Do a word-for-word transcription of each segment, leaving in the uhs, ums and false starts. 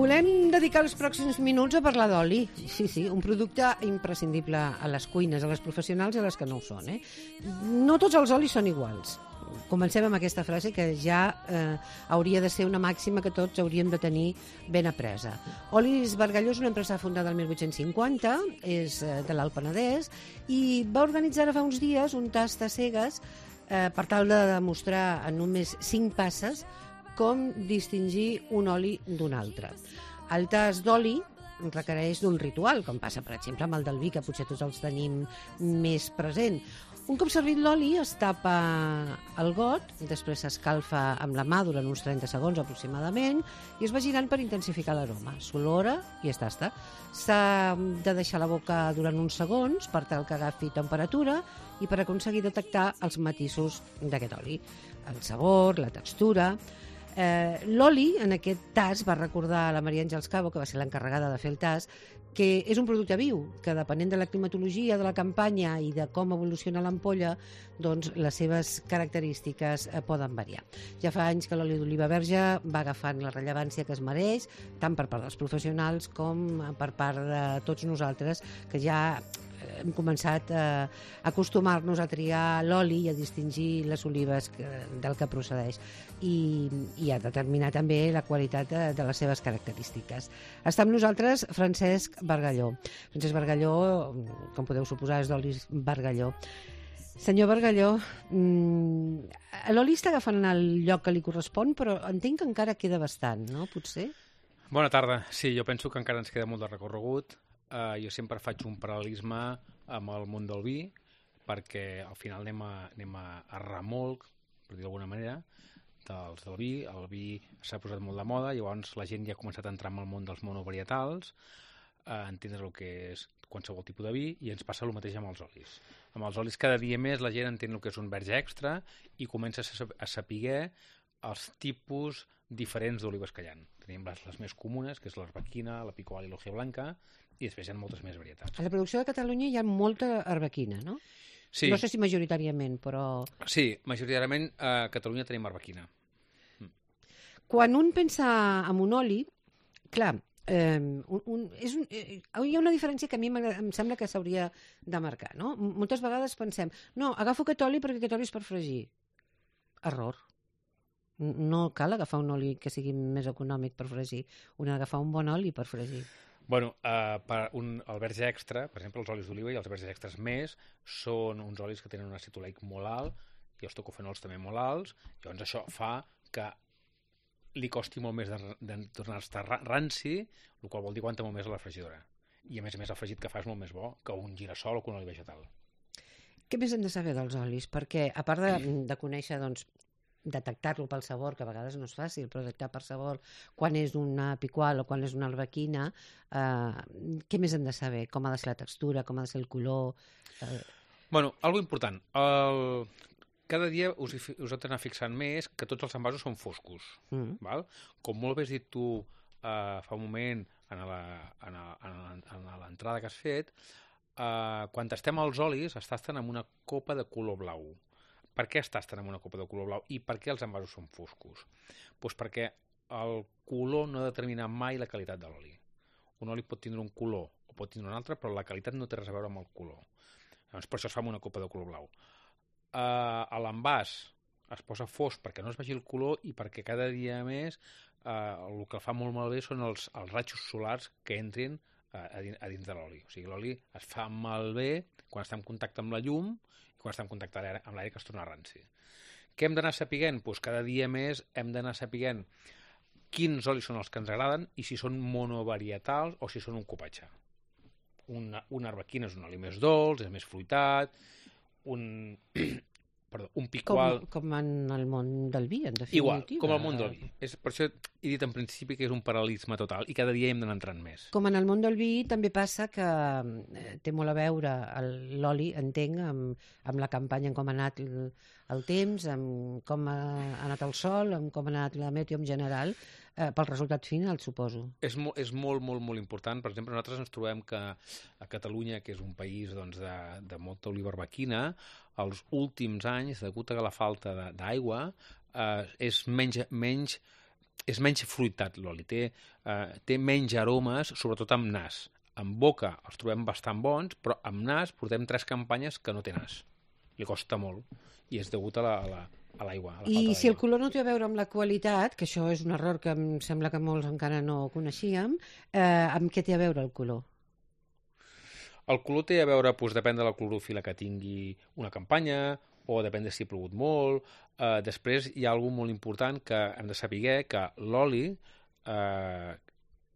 Volem dedicar els pròxims minuts a parlar d'oli. Sí, sí, un producte imprescindible a les cuines, a les professionals i a les que no ho són. Eh? No tots els olis són iguals. Comencem amb aquesta frase que ja eh, hauria de ser una màxima que tots hauríem de tenir ben apresa. Olis Bargalló és una empresa fundada el mil vuit-cents cinquanta, és eh, de l'Alt Penedès, i va organitzar fa uns dies un tast a cegues eh, per tal de demostrar en només cinc passes com distingir un oli d'un altre. El tast d'oli requereix d'un ritual, com passa, per exemple, amb el del vi, que potser tots els tenim més present. Un cop servit l'oli, es tapa el got, després s'escalfa amb la mà durant uns trenta segons aproximadament i es va girant per intensificar l'aroma. S'olora i es tasta. S'ha de deixar la boca durant uns segons per tal que agafi temperatura i per aconseguir detectar els matisos d'aquest oli. El sabor, la textura. Eh, l'oli, en aquest tast, va recordar a la Maria Àngels Cabo, que va ser l'encarregada de fer el tast, que és un producte viu, que depenent de la climatologia, de la campanya i de com evoluciona l'ampolla, doncs les seves característiques eh, poden variar. Ja fa anys que l'oli d'oliva verge va agafant la rellevància que es mereix, tant per part dels professionals com per part de tots nosaltres, que ja hem començat a acostumar-nos a triar l'oli i a distingir les olives que, del que procedeix i, i a determinar també la qualitat de, de les seves característiques. Està amb nosaltres Francesc Bargalló. Francesc Bargalló, com podeu suposar, és d'Olis Bargalló. Senyor Bargalló, mmm, l'oli està agafant el lloc que li correspon, però entenc que encara queda bastant, no? Potser? Bona tarda. Sí, jo penso que encara ens queda molt de recorregut. Uh, jo sempre faig un paral·lelisme amb el món del vi, perquè al final anem a, anem a, a remolc, per dir d'alguna manera, dels del vi. El vi s'ha posat molt de moda, llavors la gent ja ha començat a entrar en el món dels monovarietals, a entendre el que és qualsevol tipus de vi, i ens passa el mateix amb els olis. Amb els olis cada dia més la gent entén el que és un verge extra i comença a saber els tipus diferents d'olives que hi ha. Tenim les, les més comunes, que és l'arbequina, la picual i l'hoja blanca, i després hi ha moltes més varietats. A la producció de Catalunya hi ha molta arbequina, no? Sí. No sé si majoritàriament, però... Sí, majoritàriament a Catalunya tenim arbequina. Mm. Quan un pensa en un oli, clar, eh, un, un, és un, eh, hi ha una diferència que a mi em sembla que s'hauria de marcar, no? Moltes vegades pensem, no, agafo aquest oli perquè aquest oli és per fregir. Error. No cal agafar un oli que sigui més econòmic per fregir, un ha d'agafar un bon oli per fregir. Bueno, uh, per un, el verge extra, per exemple, els olis d'oliva i els verges extras més, són uns olis que tenen un àcid oleic molt alt i els tocofenols també molt alts, llavors això fa que li costi molt més de, de tornar-se ranci, el qual vol dir aguanta molt més a la fregidora. I a més a més el fregit que fa és molt més bo que un girassol o que un oli vegetal. Què més hem de saber dels olis? Perquè a part de, de conèixer, doncs, detectar-lo pel sabor, que a vegades no és fàcil, però detectar per sabor quan és una picual o quan és una arbequina, eh, què més hem de saber? Com ha de ser la textura, com ha de ser el color? Eh... Bueno, algo important. El... Cada dia us, us heu d'anar fixant més que tots els envasos són foscos. Mm. Val? Com molt bé has dit tu eh, fa un moment en l'entrada que has fet, eh, quan tastem els olis es tasten amb una copa de color blau. Per què es tasten amb una copa de color blau i per què els envasos són foscos? Doncs perquè el color no determina mai la qualitat de l'oli. Un oli pot tindre un color o pot tindre un altre, però la qualitat no té res a veure amb el color. Llavors, per això es fa amb una copa de color blau. Uh, a l'envàs es posa fosc perquè no es vegi el color i perquè cada dia més uh, el que fa molt malbé són els, els rajos solars que entrin uh, a, dins, a dins de l'oli. O sigui, l'oli es fa malbé quan està en contacte amb la llum i quan està en contacte amb l'aire que es torna ranci. Què hem d'anar sapiguent? Pues cada dia més hem d'anar sapiguent quins olis són els que ens agraden i si són monovarietals o si són un cupatge. Una, una arbequina és un oli més dolç, és més fruitat, un, perdó, un picual... Com, com en el món del vi, en definitiva. Igual, com el món del vi. És, per això he dit en principi que és un paral·lelisme total i cada dia hem d'anar entrant més. Com en el món del vi també passa que eh, té molt a veure l'oli, entenc, amb, amb la campanya, en com ha anat el, el temps, amb com ha anat el sol, amb com ha anat la meteo en general, eh, pel resultat final, suposo. És, mo és molt, molt, molt important. Per exemple, nosaltres ens trobem que a Catalunya, que és un país doncs, de, de molta oliva arbequina, els últims anys, degut a la falta d'aigua, eh, és menys, menys és menys fruitat l'oli, té, uh, té menys aromes, sobretot amb nas. En boca els trobem bastant bons, però amb nas portem tres campanyes que no té nas. Li costa molt, i és degut a la, a la, a l'aigua. I si el color no té a veure amb la qualitat, que això és un error que em sembla que molts encara no coneixíem, eh, amb què té a veure el color? El color té a veure, doncs, depèn de la clorofila que tingui una campanya, o depèn de si ha plogut molt. Eh, després hi ha alguna molt important que hem de saber, que l'oli, eh,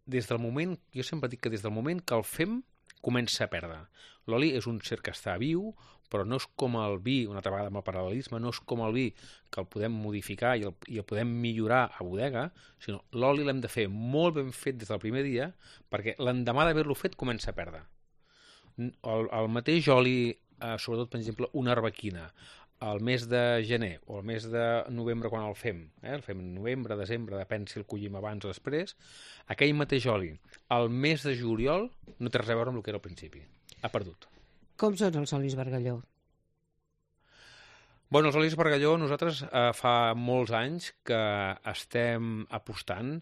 des del moment, jo sempre dic que des del moment que el fem, comença a perdre. L'oli és un ser que està viu, però no és com el vi, una altra vegada amb el paral·lelisme, no és com el vi que el podem modificar i el, i el podem millorar a bodega, sinó l'oli l'hem de fer molt ben fet des del primer dia, perquè l'endemà d'haver-lo fet comença a perdre. El, el mateix oli, eh, sobretot, per exemple, una arbequina, el mes de gener o el mes de novembre quan el fem, eh? el fem en novembre, desembre, depèn si el collim abans o després, aquell mateix oli, el mes de juliol, no té res a veure amb el que era al principi. Ha perdut. Com són els olis Bargalló? Bueno, els olis Bargalló, nosaltres eh, fa molts anys que estem apostant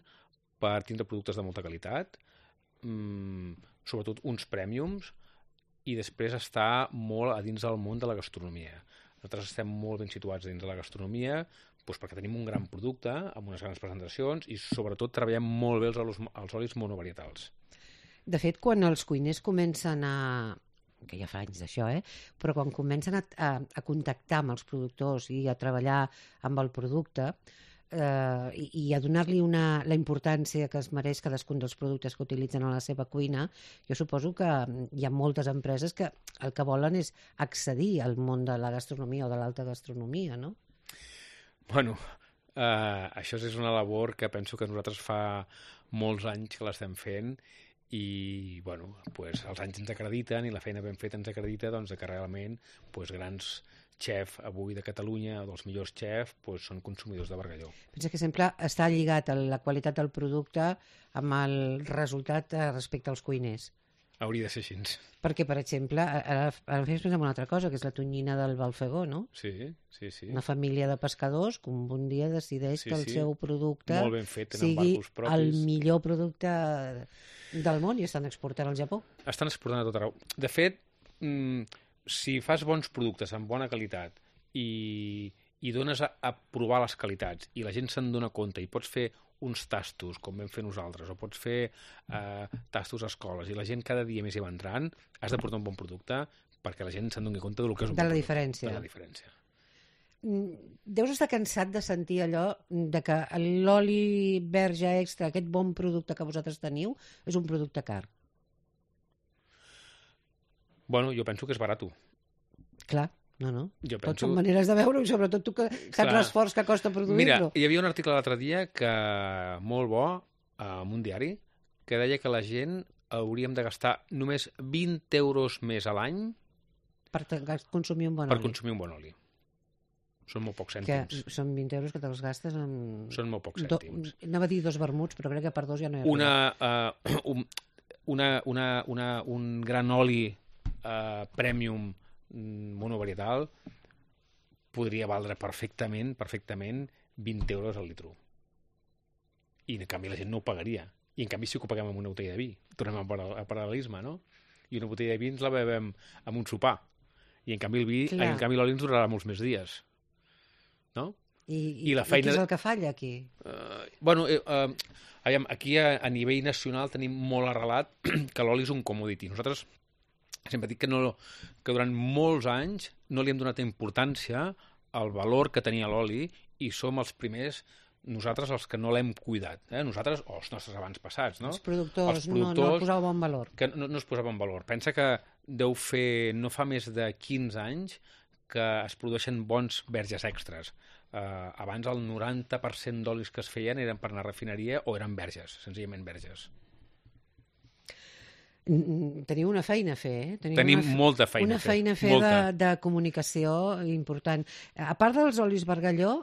per tindre productes de molta qualitat, mmm, sobretot uns prèmiums, i després està molt a dins del món de la gastronomia. Nosaltres estem molt ben situats dins de la gastronomia, doncs perquè tenim un gran producte, amb unes grans presentacions, i sobretot treballem molt bé els, olis, els olis monovarietals. De fet, quan els cuiners comencen a... que ja fa anys d'això, eh? Però quan comencen a, a, a contactar amb els productors i a treballar amb el producte, eh, i, i a donar-li una, la importància que es mereix cadascun dels productes que utilitzen a la seva cuina, jo suposo que hi ha moltes empreses que el que volen és accedir al món de la gastronomia o de l'alta gastronomia, no? Bueno, eh, això és una labor que penso que nosaltres fa molts anys que l'estem fent, i bueno, pues, els anys ens acrediten i la feina ben feta ens acredita doncs, que realment pues, grans xef avui de Catalunya, dels millors xef, pues, són consumidors de Bargalló. Pensa que sempre està lligat a la qualitat del producte amb el resultat respecte als cuiners. Hauria de ser així. Perquè, per exemple, ara, ara fes pensar en una altra cosa, que és la tonyina del Balfegó, no? Sí, sí, sí. Una família de pescadors que un dia decideix sí, que el sí. seu producte molt ben fet, sigui el millor producte del món i estan exportant al Japó. Estan exportant a tot arreu. De fet, mmm, si fas bons productes amb bona qualitat i, i dones a, a provar les qualitats i la gent se'n dona compte i pots fer uns tastos, com vam fer nosaltres, o pots fer eh, tastos a escoles, i la gent cada dia més hi va entrant, has de portar un bon producte perquè la gent se'n doni compte del que és un de bon la producte. Diferència. De la diferència. Deus estar cansat de sentir allò de que l'oli verge extra, aquest bon producte que vosaltres teniu, és un producte car. Bueno, jo penso que és barat. Clar, no, no. Jo penso... Tots penso... són maneres de veure-ho, i sobretot tu que saps l'esforç que costa produir-lo. Mira, hi havia un article l'altre dia que molt bo, en un diari, que deia que la gent hauríem de gastar només vint euros més a l'any per consumir un bon per oli. consumir un bon oli. Són molt pocs cèntims. Que són vint euros que te'ls gastes en... Són molt pocs cèntims. Do... Anava a dir dos vermuts, però crec que per dos ja no hi ha una, uh, un, una, una, una, un gran oli uh, premium monovarietal podria valdre perfectament, perfectament vint euros al litro. I en canvi la gent no ho pagaria. I en canvi sí que ho paguem amb una botella de vi. Tornem al paral·lelisme, no? I una botella de vi ens la bevem amb un sopar. I en canvi el vi, en canvi l'oli ens durarà molts més dies. No? I, i, I, la feina... i què és el que falla aquí? Uh, bueno, eh, uh, aquí a, a nivell nacional tenim molt arrelat que l'oli és un commodity. Nosaltres sempre dic que, no, que durant molts anys no li hem donat importància al valor que tenia l'oli i som els primers, nosaltres els que no l'hem cuidat. Eh? Nosaltres, o els nostres abans passats, no? Els productors, els productors no, no posava bon valor. Que no, no es posava en valor. Pensa que deu fer, no fa més de quinze anys que es produeixen bons verges extras. Uh, abans el noranta per cent d'olis que es feien eren per anar a refineria o eren verges, senzillament verges. Teniu una feina a fer, eh? Teniu Tenim una, molta feina una a fer. feina a fer de, de comunicació important. A part dels olis Bargalló,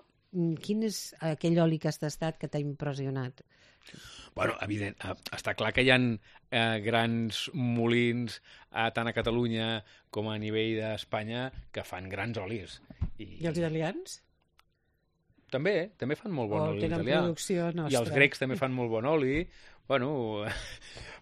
quin és aquell oli que has tastat que t'ha impressionat? Bueno, evident, està clar que hi ha eh, grans molins eh, tant a Catalunya com a nivell d'Espanya que fan grans olis. I, I els italians? també, també fan molt bon O oli tenen italià. producció nostra. I els grecs també fan molt bon oli. Bueno,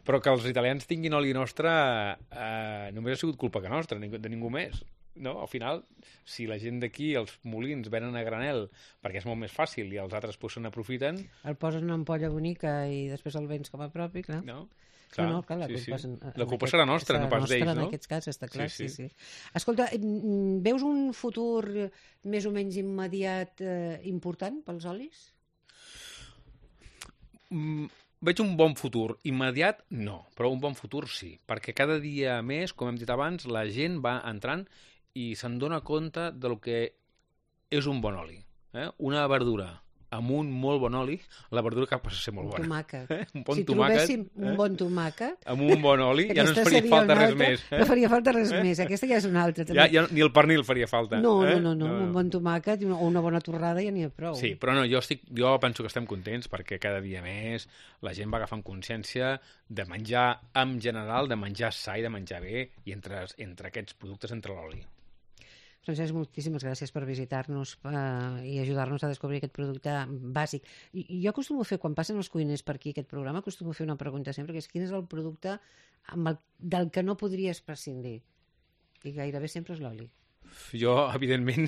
però que els italians tinguin oli nostre eh, només ha sigut culpa que nostra, de ningú més. No? Al final, si la gent d'aquí, els molins, venen a granel perquè és molt més fàcil i els altres pues, se n'aprofiten... El posen en una ampolla bonica i després el vens com a propi, clar. No? Clar, no, no, clar, la sí, culpa, sí. en, en la culpa aquest, serà nostra, no pas nostra, d'ells, en no? En aquests casos, està clar, sí, Sí, sí. sí. sí. Escolta, veus un futur més o menys immediat eh, important pels olis? Mm, veig un bon futur. Immediat, no, però un bon futur sí, perquè cada dia més, com hem dit abans, la gent va entrant i se'n dona compte del que és un bon oli. Eh? Una verdura amb un molt bon oli, la verdura que passa a ser molt Un bona. tomàquet. Eh? Un bon si tomàquet, trobéssim un eh? bon tomàquet... Amb un bon oli, ja no ens aquesta faria seria falta una res altra, més. Eh? No faria falta res més, aquesta ja és una altra. També. Ja, ja, ni el pernil faria falta. No, eh? no, no, no, un bon tomàquet i una, o una bona torrada ja n'hi ha prou. Sí, però no, jo, estic, jo penso que estem contents perquè cada dia més la gent va agafant consciència de menjar en general, de menjar sa i de menjar bé, i entre, entre aquests productes, entre l'oli. Francesc, moltíssimes gràcies per visitar-nos eh, i ajudar-nos a descobrir aquest producte bàsic. I, i jo acostumo a fer, quan passen els cuiners per aquí aquest programa, acostumo a fer una pregunta sempre, que és quin és el producte amb el, del que no podries prescindir? I gairebé sempre és l'oli. Jo, evidentment,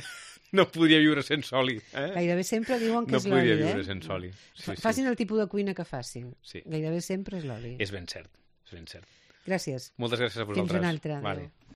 no podria viure sense oli. Eh? Gairebé sempre diuen que no és l'oli, eh? No podria viure sense oli. Sí, sí. Facin el tipus de cuina que facin. Sí. Gairebé sempre és l'oli. És ben cert, és ben cert. Gràcies. Moltes gràcies a vosaltres. Fins una altra. Vale. Adéu.